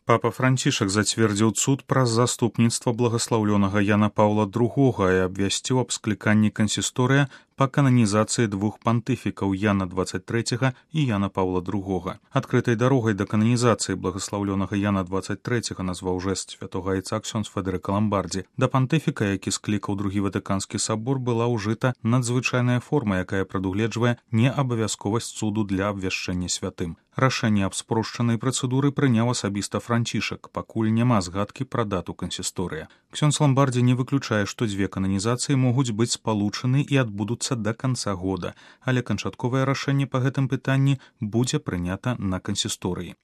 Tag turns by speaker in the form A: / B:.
A: Папа Францішак зацвердзіў цуд праз заступніцтва благаслаўлёнага Яна Паўла II і абвясціў аб скліканні кансісторыя па кананізацыі двух пантыфікаў Яна XXIII і Яна Паўла II. Адкрытай дарогай да кананізацыі благаслаўлёнага Яна XXIII назваў жэст святога айца ксёндз Федэрыка Ламбардзі. Да пантыфіка, які склікаў другі Ватыканскі сабор, была ўжыта надзвычайная форма, якая прадугледжвае неабавязковасць цуду для абвяшчэння святым. Рашэнне аб спрошчанай працэдуры прыняў асабіста Францішак, пакуль няма згадкі пра дату кансісторыя. Ксёндз Ламбардзі не выключае, што дзве кананізацыі могуць быць спалучаны і адбудуцца да канца года, але канчатковае рашэнне па гэтым пытанні будзе прынята на кансісторыі.